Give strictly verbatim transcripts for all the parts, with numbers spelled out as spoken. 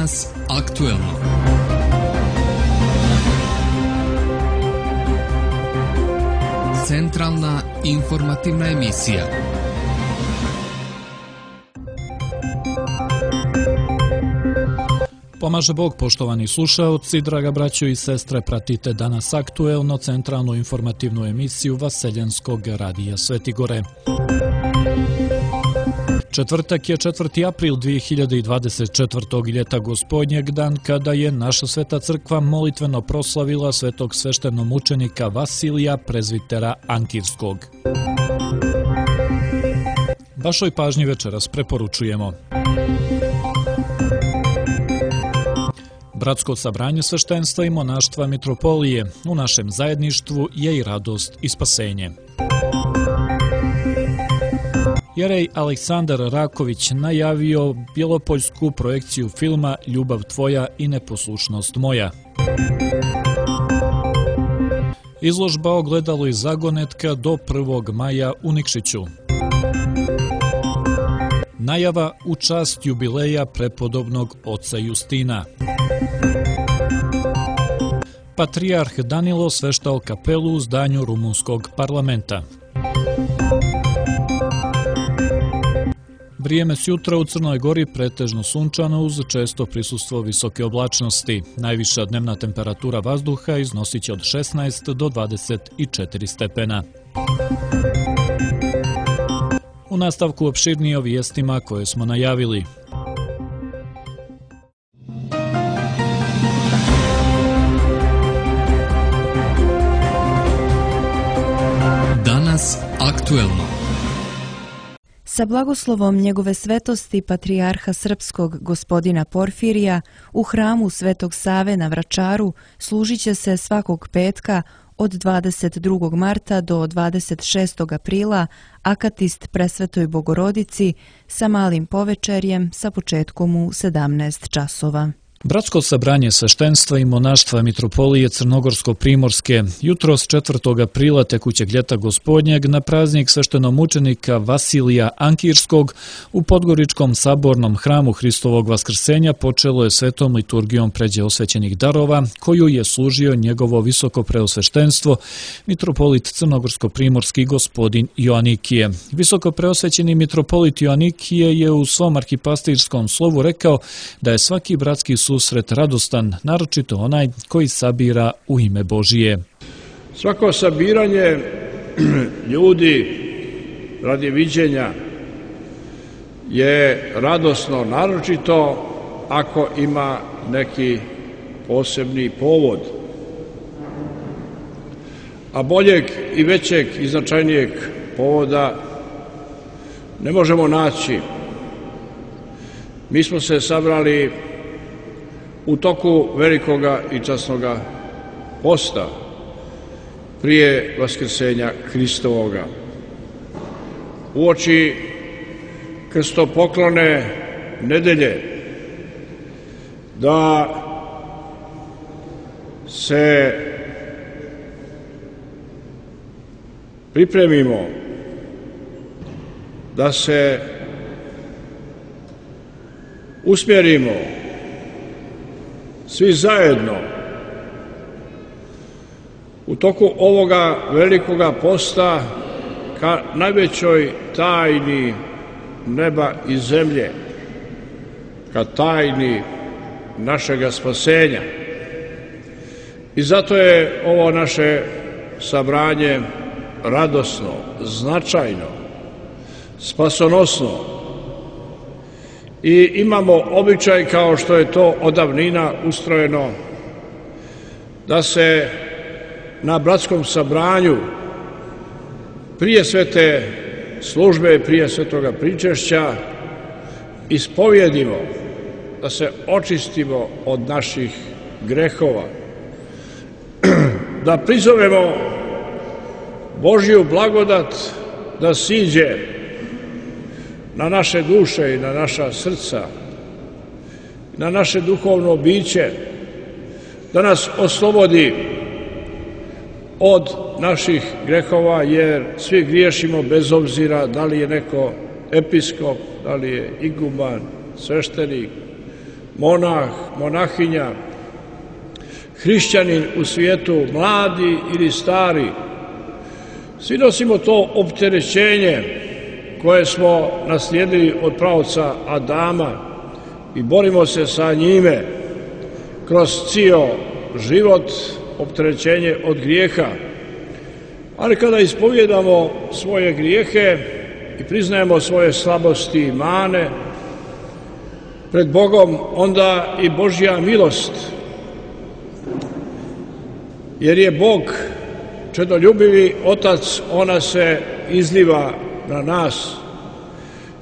Danas aktuelno. Centralna informativna emisija. Pomaže Bog, poštovani slušaoci, draga braćo i sestre, pratite Danas aktuelno, centralnu informativnu emisiju Vaseljenskog radija Sveti Gore. Četvrtak je četvrti april dvije hiljade dvadeset četvrtog. ljeta Gospodnjeg, dan kada je naša Sveta crkva molitveno proslavila svetog sveštenomučenika Vasilija, prezvitera Ankirskog. Vašoj pažnji večeras preporučujemo: Bratsko sabranje sveštenstva i monaštva mitropolije. U našem zajedništvu je i radost i spasenje. Jerej Aleksandar Raković najavio bjelopoljsku projekciju filma Ljubav tvoja i neposlušnost moja. Izložba Ogledalo iz zagonetka do prvog maja u Nikšiću. Najava u čast jubileja prepodobnog oca Justina. Patrijarh Danilo sveštao kapelu u zdanju rumunskog parlamenta. Vrijeme s jutra u Crnoj Gori pretežno sunčano uz često prisustvo visoke oblačnosti. Najviša dnevna temperatura vazduha iznosit će od šesnaest do dvadeset četiri stepena. U nastavku opširnije o vijestima koje smo najavili. Danas aktuelno. Sa blagoslovom njegove svetosti patrijarha srpskog gospodina Porfirija u hramu Svetog Save na Vračaru služit će se svakog petka od dvadeset drugog marta do dvadeset šestog aprila akatist Presvetoj Bogorodici sa malim povečerjem sa početkom u sedamnaest časova. Bratsko sabranje sveštenstva i monaštva mitropolije Crnogorsko-Primorske jutros četvrtog aprila tekućeg ljeta Gospodnjeg na praznik sveštenomučenika Vasilija Ankirskog u Podgoričkom sabornom hramu Hristovog vaskrsenja počelo je svetom liturgijom pređe osvećenih darova koju je služio njegovo visoko preosveštenstvo mitropolit Crnogorsko-Primorski gospodin Joanikije. Visoko preosvećeni mitropolit Joanikije je u svom arhipastirskom slovu rekao da je svaki bratski susret radostan, naročito onaj koji sabira u ime Božije. Svako sabiranje ljudi radi viđenja je radosno, naročito ako ima neki posebni povod. A boljeg i većeg i značajnijeg povoda ne možemo naći. Mi smo se sabrali u toku velikoga i časnoga posta prije vaskrsenja Hristovoga, uoči krstopoklone nedelje, da se pripremimo, da se usmjerimo svi zajedno u toku ovoga velikoga posta ka najvećoj tajni neba i zemlje, ka tajni našega spasenja. I zato je ovo naše sabranje radosno, značajno, spasonosno. I imamo običaj, kao što je to od davnina ustrojeno, da se na bratskom sabranju prije svete službe, prije svetoga pričešća ispovjedimo, da se očistimo od naših grehova, da prizovemo Božju blagodat da siđe na naše duše i na naša srca, na naše duhovno biće, da nas oslobodi od naših grehova, jer svi griješimo bez obzira da li je neko episkop, da li je iguman, sveštenik, monah, monahinja, hrišćanin u svijetu, mladi ili stari, svi nosimo to opterećenje koje smo naslijedili od praoca Adama i borimo se sa njime kroz cijel život, opterećenje od grijeha. Ali kada ispovjedamo svoje grijehe i priznajemo svoje slabosti i mane pred Bogom, onda i Božja milost, jer je Bog čedoljubivi Otac, ona se izliva na nas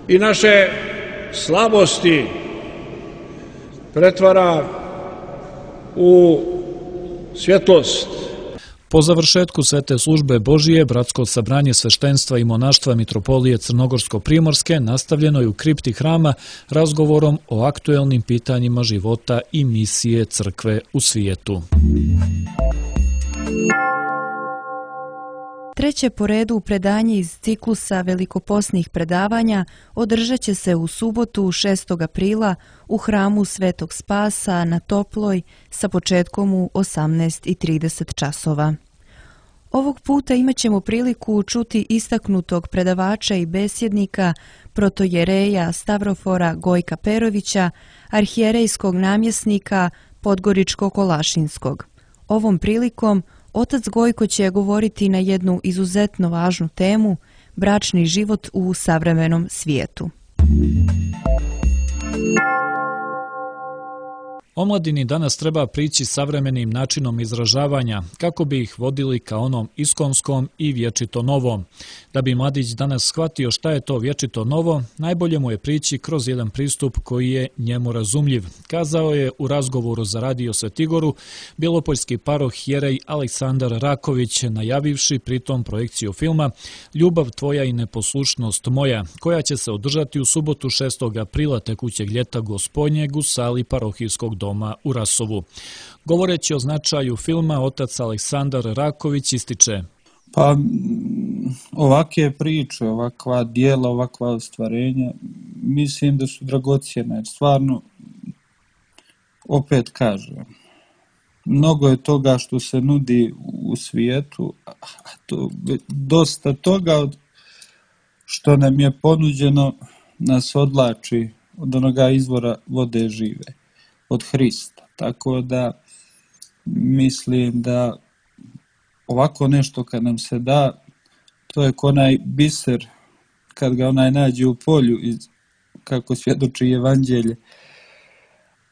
i naše slabosti pretvara u svjetlost. Po završetku svete službe Božije, bratsko sabranje sveštenstva i monaštva Mitropolije Crnogorsko-primorske nastavljeno je u kripti hrama razgovorom o aktuelnim pitanjima života i misije crkve u svijetu. Treće po redu predanje iz ciklusa velikoposnih predavanja održat će se u subotu šestog aprila u hramu Svetog Spasa na Toploj sa početkom u osamnaest i trideset časova. Ovog puta imat ćemo priliku čuti istaknutog predavača i besjednika protojereja Stavrofora Gojka Perovića, arhijerejskog namjesnika Podgoričko-Kolašinskog. Ovom prilikom otac Gojko će govoriti na jednu izuzetno važnu temu – bračni život u savremenom svijetu. Omladini danas treba prići savremenim načinom izražavanja kako bi ih vodili ka onom iskonskom i vječito novom. Da bi mladić danas shvatio šta je to vječito novo, najbolje mu je prići kroz jedan pristup koji je njemu razumljiv, kazao je u razgovoru za Radio Svetigoru bjelopoljski paroh jerej Aleksandar Raković, najavivši pritom projekciju filma Ljubav tvoja i neposlušnost moja, koja će se održati u subotu šestog aprila tekućeg ljeta Gospodnjeg u sali parohijskog doma doma u Rasovu. Govoreći o značaju filma, otac Aleksandar Raković ističe: Pa ovakve priče, ovakva dijela, ovakva ostvarenja, mislim da su dragocjene, jer stvarno, opet kažem, mnogo je toga što se nudi u svijetu, a to, dosta toga od što nam je ponuđeno nas odlači od onoga izvora vode žive, od Hrista. Tako da mislim da ovako nešto kad nam se da, to je ko onaj biser kad ga onaj nađe u polju, kako svjedoči evanđelje,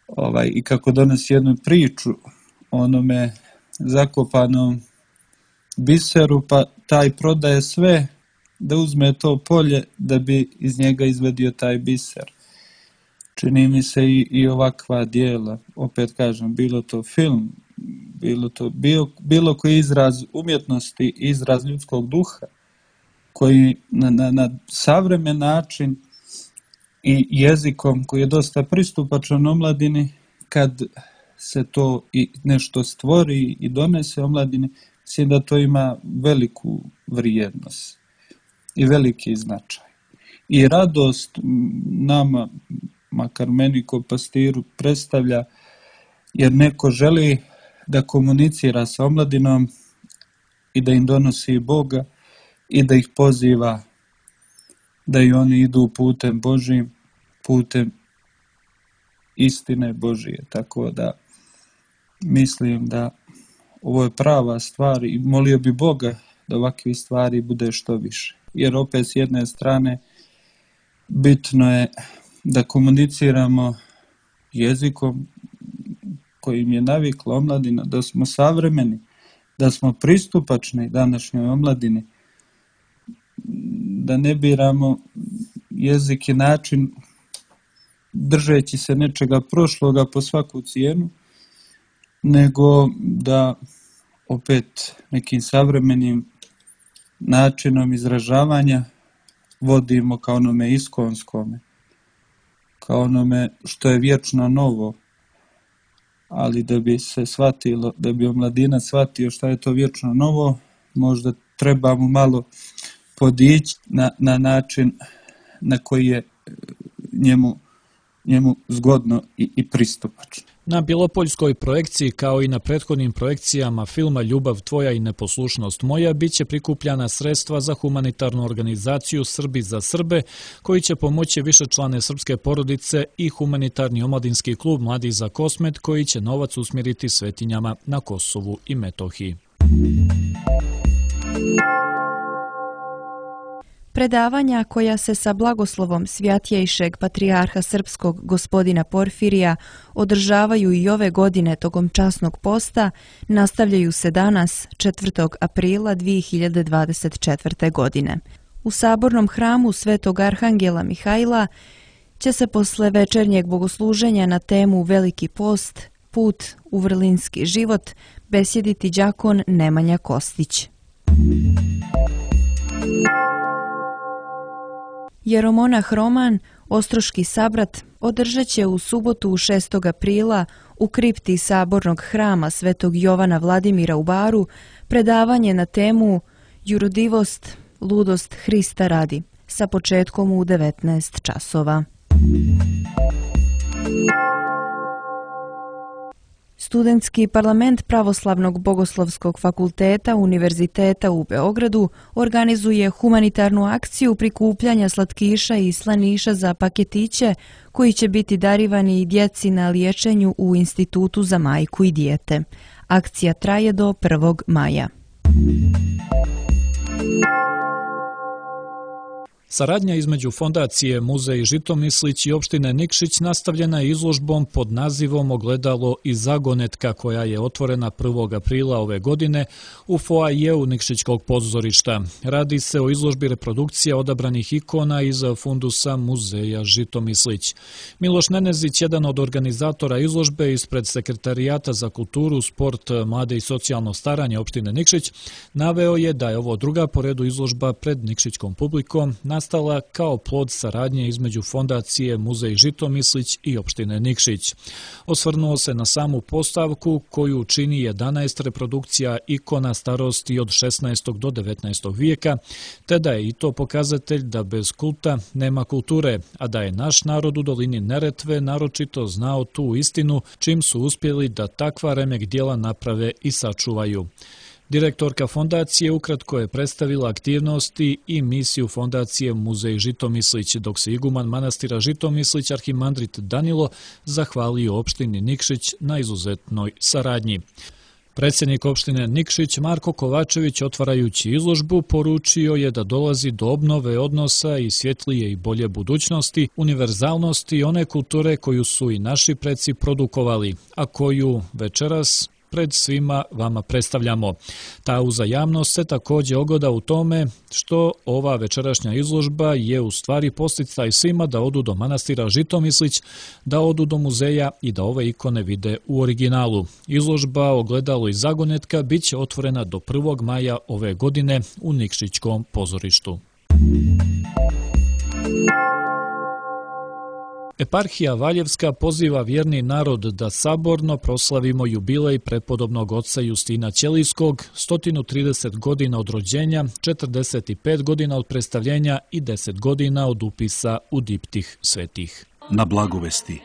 ovaj, i kako donosi jednu priču o onome zakopanom biseru, pa taj prodaje sve da uzme to polje da bi iz njega izvedio taj biser. Čini mi se i, i ovakva dijela, opet kažem, bilo to film, bilo to bilo, bilo koji izraz umjetnosti, izraz ljudskog duha, koji na, na, na savremen način i jezikom koji je dosta pristupačan omladini, kad se to i nešto stvori i donese omladini, mislim da to ima veliku vrijednost i veliki značaj. I radost nama, makar meni ko pastiru, predstavlja, jer neko želi da komunicira sa omladinom i da im donosi Boga i da ih poziva da i oni idu putem Božijim, putem istine Božije. Tako da mislim da ovo je prava stvar i molio bi Boga da ovakvih stvari bude što više. Jer opet s jedne strane bitno je da komuniciramo jezikom kojim je navikla omladina, da smo savremeni, da smo pristupačni današnjoj omladini, da ne biramo jezik i način držeći se nečega prošloga po svaku cijenu, nego da opet nekim savremenim načinom izražavanja vodimo kao onome iskonskome, kao onome što je vječno novo, ali da bi se shvatilo, da bi omladina shvatio šta je to vječno novo, možda trebamo malo podići na, na način na koji je njemu njemu zgodno i, i pristupačno. Na Bjelopoljskoj projekciji, kao i na prethodnim projekcijama filma Ljubav tvoja i neposlušnost moja, bit će prikupljana sredstva za humanitarnu organizaciju Srbi za Srbe, koji će pomoći višečlane srpske porodice, i humanitarni omladinski klub Mladi za Kosmet, koji će novac usmjeriti svetinjama na Kosovu i Metohiji. Predavanja koja se sa blagoslovom Svjatjejšeg patrijarha srpskog gospodina Porfirija održavaju i ove godine tokom časnog posta nastavljaju se danas, četvrtog aprila dvije hiljade dvadeset četvrte. godine. U sabornom hramu Svetog Arhangela Mihajla će se posle večernjeg bogosluženja na temu Veliki post, put u vrlinski život, besjediti đakon Nemanja Kostić. Jeromonah Roman, ostroški sabrat, održat će u subotu šestog aprila u kripti sabornog hrama Svetog Jovana Vladimira u Baru predavanje na temu Jurudivost, ludost Hrista radi, sa početkom u devetnaest časova. Studentski parlament Pravoslavnog bogoslovskog fakulteta Univerziteta u Beogradu organizuje humanitarnu akciju prikupljanja slatkiša i slaniša za paketiće koji će biti darivani i djeci na liječenju u Institutu za majku i dijete. Akcija traje do prvog maja. Saradnja između Fondacije Muzej Žitomislić i opštine Nikšić nastavljena je izložbom pod nazivom Ogledalo i zagonetka, koja je otvorena prvog aprila ove godine u foajeu Nikšićkog pozorišta. Radi se o izložbi reprodukcija odabranih ikona iz fundusa Muzeja Žitomislić. Miloš Nenezić, jedan od organizatora izložbe ispred Sekretarijata za kulturu, sport, mlade i socijalno staranje opštine Nikšić, naveo je da je ovo druga po redu izložba pred nikšićkom publikom, nastala kao plod saradnje između Fondacije Muzej Žitomislić i opštine Nikšić. Osvrnuo se na samu postavku koju čini jedanaest reprodukcija ikona starosti od šesnaestog do devetnaestog vijeka, te da je i to pokazatelj da bez kulta nema kulture, a da je naš narod u dolini Neretve naročito znao tu istinu, čim su uspjeli da takva remek dijela naprave i sačuvaju. Direktorka fondacije ukratko je predstavila aktivnosti i misiju Fondacije Muzej Žitomislić, dok se iguman manastira Žitomislić arhimandrit Danilo zahvalio opštini Nikšić na izuzetnoj saradnji. Predsjednik opštine Nikšić Marko Kovačević, otvarajući izložbu, poručio je da dolazi do obnove odnosa i svjetlije i bolje budućnosti, univerzalnosti one kulture koju su i naši preci produkovali, a koju večeras pred svima vama predstavljamo. Ta uzajamnost se također ogleda u tome što ova večerašnja izložba je u stvari posticaj svima da odu do manastira Žitomislić, da odu do muzeja i da ove ikone vide u originalu. Izložba Ogledalo i zagonetka bit će otvorena do prvog maja ove godine u Nikšićkom pozorištu. Eparhija Valjevska poziva vjerni narod da saborno proslavimo jubilej prepodobnog oca Justina Ćelijskog, sto trideset godina od rođenja, četrdeset pet godina od predstavljenja i deset godina od upisa u diptih svetih. Na blagovesti,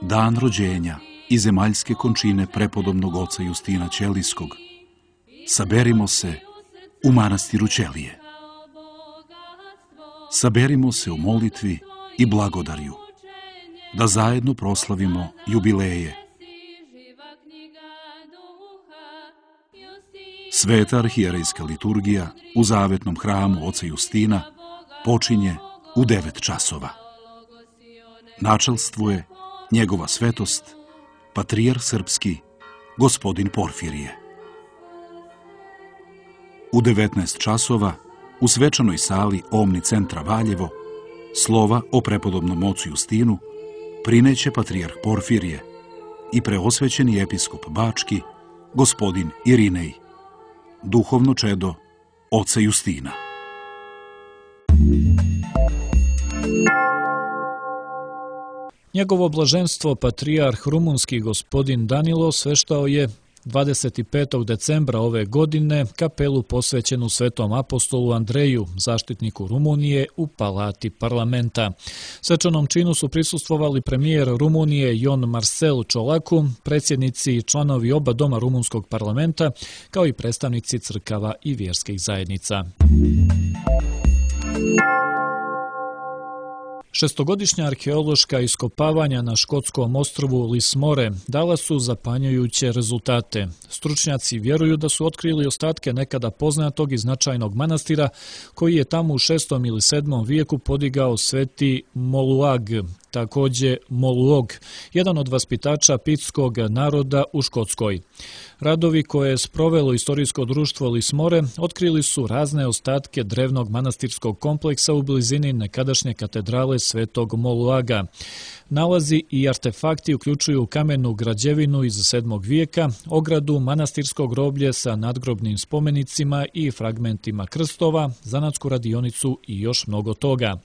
dan rođenja i zemaljske končine prepodobnog oca Justina Ćelijskog, saberimo se u manastiru Ćelije. Saberimo se u molitvi i blagodarju, da zajedno proslavimo jubileje. Sveta arhijerejska liturgija u zavetnom hramu oca Justina počinje u devet časova. Načelstvuje njegova svetost, patrijarh srpski, gospodin Porfirije. U devetnaest časova u svečanoj sali Omni centra Valjevo slova o prepodobnom ocu Justinu prineće patrijarh Porfirije i preosvećeni episkop Bački, gospodin Irinej, duhovno čedo oca Justina. Njegovo blaženstvo patrijarh rumunski gospodin Danilo sveštao je dvadeset petog decembra ove godine kapelu posvećenu Svetom apostolu Andreju, zaštitniku Rumunije, u palati parlamenta. Svečanom činu su prisustvovali premijer Rumunije Ion Marcel Ciolacu, predsjednici i članovi oba doma rumunskog parlamenta, kao i predstavnici crkava i vjerskih zajednica. Šestogodišnja arheološka iskopavanja na škotskom ostrvu Lismore dala su zapanjujuće rezultate. Stručnjaci vjeruju da su otkrili ostatke nekada poznatog i značajnog manastira koji je tamo u šestom ili sedmom vijeku podigao sveti Moluag, također Moluog, jedan od vaspitača pitskog naroda u Škotskoj. Radovi koje je sprovelo istorijsko društvo Lismore otkrili su razne ostatke drevnog manastirskog kompleksa u blizini nekadašnje katedrale Svetog Moluaga. Nalazi i artefakti uključuju kamenu građevinu iz sedmog vijeka, ogradu, manastirskog groblje sa nadgrobnim spomenicima i fragmentima krstova, zanatsku radionicu i još mnogo toga.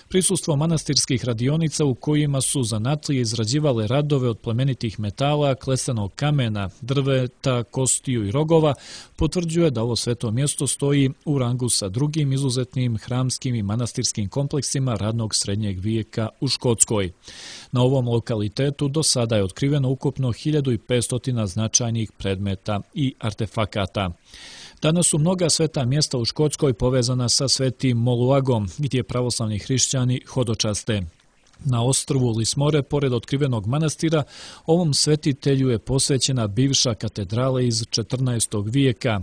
Prisustvo manastirskih radionica u kojima su zanatlije izrađivale radove od plemenitih metala, klesanog kamena, drveta, kostiju i rogova potvrđuje da ovo sveto mjesto stoji u rangu sa drugim izuzetnim hramskim i manastirskim kompleksima radnog srednjeg vijeka u Škotskoj. Na ovom lokalitetu do sada je otkriveno ukupno hiljadu petsto značajnih predmeta i artefakata. Danas su mnoga sveta mjesta u Škotskoj povezana sa svetim Moluagom, gdje pravoslavni hrišćani hodočaste. Na ostrvu Lismore, pored otkrivenog manastira, ovom svetitelju je posvećena bivša katedrala iz četrnaestog vijeka.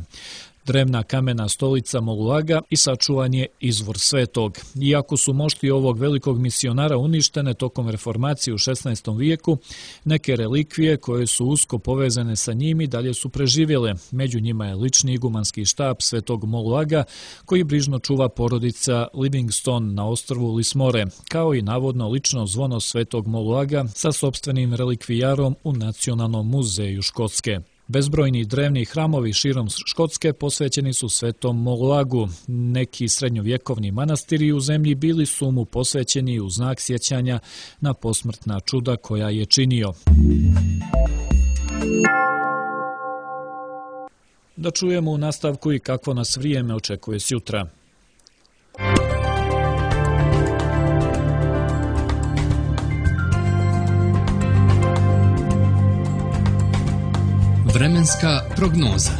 Drevna kamena stolica Moluaga i sačuvan je izvor svetog. Iako su mošti ovog velikog misionara uništene tokom reformacije u šesnaestom vijeku, neke relikvije koje su usko povezane sa njimi dalje su preživjele. Među njima je lični igumanski štab svetog Moluaga, koji brižno čuva porodica Livingstone na ostrvu Lismore, kao i navodno lično zvono svetog Moluaga sa sopstvenim relikvijarom u Nacionalnom muzeju Škotske. Bezbrojni drevni hramovi širom Škotske posvećeni su svetom Moluagu. Neki srednjovjekovni manastiri u zemlji bili su mu posvećeni u znak sjećanja na posmrtna čuda koja je činio. Da čujemo u nastavku i kakvo nas vrijeme očekuje sjutra. Vremenska prognoza.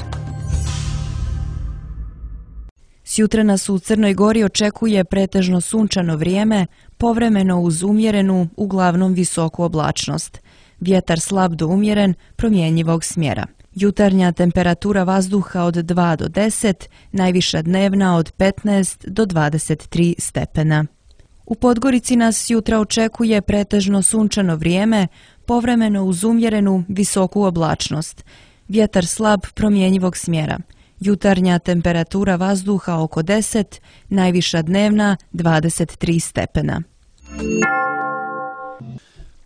Sjutra nas u Crnoj Gori očekuje pretežno sunčano vrijeme, povremeno uz umjerenu, uglavnom visoku oblačnost. Vjetar slab do umjeren, promjenjivog smjera. Jutarnja temperatura vazduha od dva do deset, najviša dnevna od petnaest do dvadeset tri stepena. U Podgorici nas jutra očekuje pretežno sunčano vrijeme, povremeno uz umjerenu, visoku oblačnost. Vjetar slab promjenjivog smjera. Jutarnja temperatura vazduha oko deset, najviša dnevna dvadeset tri stepena.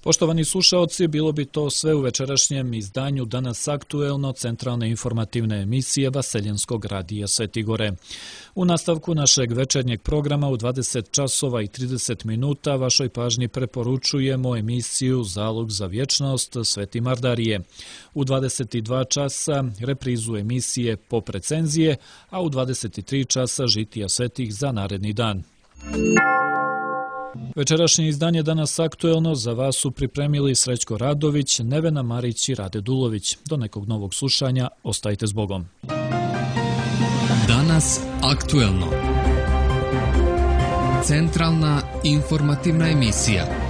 Poštovani slušaoci, bilo bi to sve u večerašnjem izdanju Danas aktuelno centralne informativne emisije Vaseljenskog radija Sveti Gore. U nastavku našeg večernjeg programa u dvadeset časova i trideset minuta vašoj pažnji preporučujemo emisiju Zalog za vječnost Sveti Mardarije. U dvadeset dva časa reprizu emisije Pop recenzije, a u dvadeset tri časa žitija svetih za naredni dan. Večerašnje izdanje Danas aktuelno za vas su pripremili Srećko Radović, Nevena Marić i Rade Dulović. Do nekog novog slušanja, ostajte s Bogom. Danas aktuelno. Centralna informativna emisija.